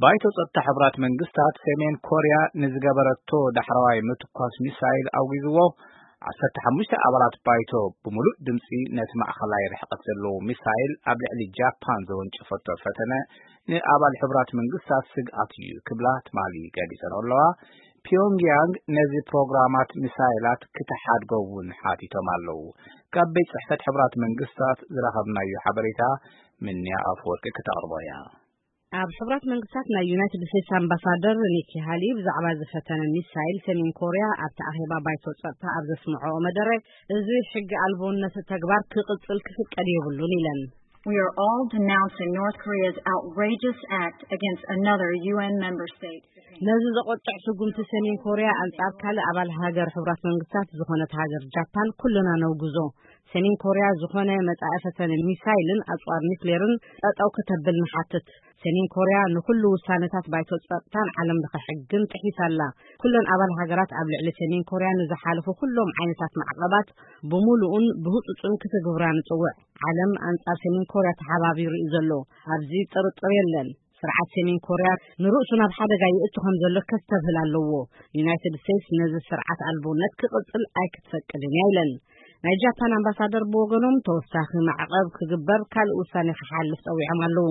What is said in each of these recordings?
ባይቶ ጸጥታ ሕቡራት መንግስታት ሰሜን ኮርያ ንዝገበረቶ ዳሕረዋይ ምትኳስ ሚሳይል ኣውጊዝዎ። ዓሰርተ ሓሙሽተ ኣባላት ባይቶ ብምሉእ ድምጺ ነቲ ማእኸላይ ርሕቀት ዘለዎ ሚሳይል ኣብ ልዕሊ ጃፓን ዘወንጨፈቶ ፈተነ ንኣባል ሕቡራት መንግስታት ስግኣት እዩ ክብላ ትማሊ ገሊጸን ኣለዋ። ፒዮንግያንግ ነዚ ፕሮግራማት ሚሳይላት ክትሓድጎ እውን ሓቲቶም ኣለዉ። ካብ ቤት ጽሕፈት ሕቡራት መንግስታት ዝረኸብናዮ ሓበሬታ ምንያ ኣፈወርቂ ክተቕርቦ እያ። ኣብ ሕቡራት መንግስታት ናይ ዩናይትድ ስቴትስ ኣምባሳደር ኒኪ ሃሊ ብዛዕባ ዝፈተነ ሚሳይል ሰሜን ኮርያ ኣብቲ ኣኼባ ባይቶ ጸጥታ ኣብ ዘስምዐኦ መደረ፣ እዚ ሕጊ ኣልቦነት ተግባር ክቕጽል ክፍቀድ የብሉን ኢለን። We are all denouncing North Korea's outrageous act against another U N member state. ነዚ ዘቆጥዕ ስጉምቲ ሰሜን ኮርያ ኣንጻር ካልእ ኣባል ሃገር ሕቡራት መንግስታት ዝኾነት ሃገር ጃፓን ኩልና ነውግዞ። ሰሜን ኮርያ ዝኾነ መጻኢ ፈተነ ሚሳይልን ኣጽዋር ኒክሌርን ጠጠው ከተብል ንሓትት። ሰሜን ኮርያ ንኹሉ ውሳነታት ባይቶ ጸጥታን ዓለም ለኸ ሕግን ጥሒሳ ኣላ። ኩለን ኣባል ሃገራት ኣብ ልዕሊ ሰሜን ኮርያ ንዝሓለፉ ኩሎም ዓይነታት ማዕቐባት ብምሉኡን ብህጹጽን ክትግብራ ንጽውዕ። ዓለም ኣንጻር ሰሜን ኮርያ ተሓባቢሩ እዩ ዘሎ። ኣብዚ ጥርጥር የለን። ስርዓት ሰሜን ኮርያ ንርእሱ ናብ ሓደጋ ይእቱ ከም ዘሎ ከስተብህል ኣለዎ። ዩናይትድ ስቴትስ ነዚ ስርዓት ኣልቦነት ክቕጽል ኣይክትፈቅድን እያ ኢለን። ናይ ጃፓን ኣምባሳደር ብወገኖም ተወሳኺ ማዕቐብ ክግበር ካልእ ውሳኔ ክሓልፍ ጸዊዖም ኣለዉ።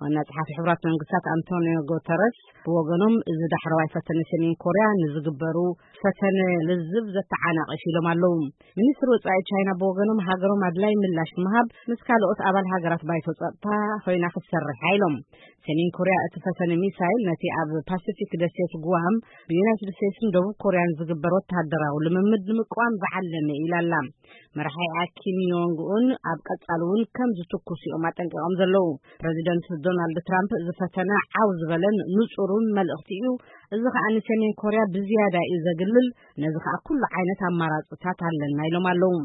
ዋና ጸሓፊ ሕቡራት መንግስታት ኣንቶኒዮ ጉተረስ ብወገኖም እዚ ዳሕረዋይ ፈተነ ሰሜን ኮርያ ንዝግበሩ ፈተነ ልዝብ ዘተዓናቕፍ ኢሎም ኣለዉ። ሚኒስትሪ ወጻኢ ቻይና ብወገኖም ሃገሮም ኣድላይ ምላሽ ንምሃብ ምስ ካልኦት ኣባል ሃገራት ባይቶ ጸጥታ ኮይና ክትሰርሕ ኢሎም። ሰሜን ኮርያ እቲ ፈተነ ሚሳይል ነቲ ኣብ ፓሲፊክ ደሴት ጉዋም ብዩናይትድ ስቴትስን ደቡብ ኮርያን ዝግበር ወተሃደራዊ ልምምድ ንምቅዋም ዝዓለመ ኢላ ኣላ። መራሒኣ ኪም ዮንግ ኡን ኣብ ቀጻሊ እውን ከም ዝትኩስ እዮም ኣጠንቂቖም ዘለዉ። ፕረዚደንት ዶናልድ ትራምፕ እዚ ፈተነ ዓው ዝበለን ንጹሩን መልእኽቲ እዩ። እዚ ከኣ ንሰሜን ኮርያ ብዝያዳ እዩ ዘግልል። ነዚ ከኣ ኩሉ ዓይነት ኣማራጽታት ኣለና ኢሎም ኣለዉ።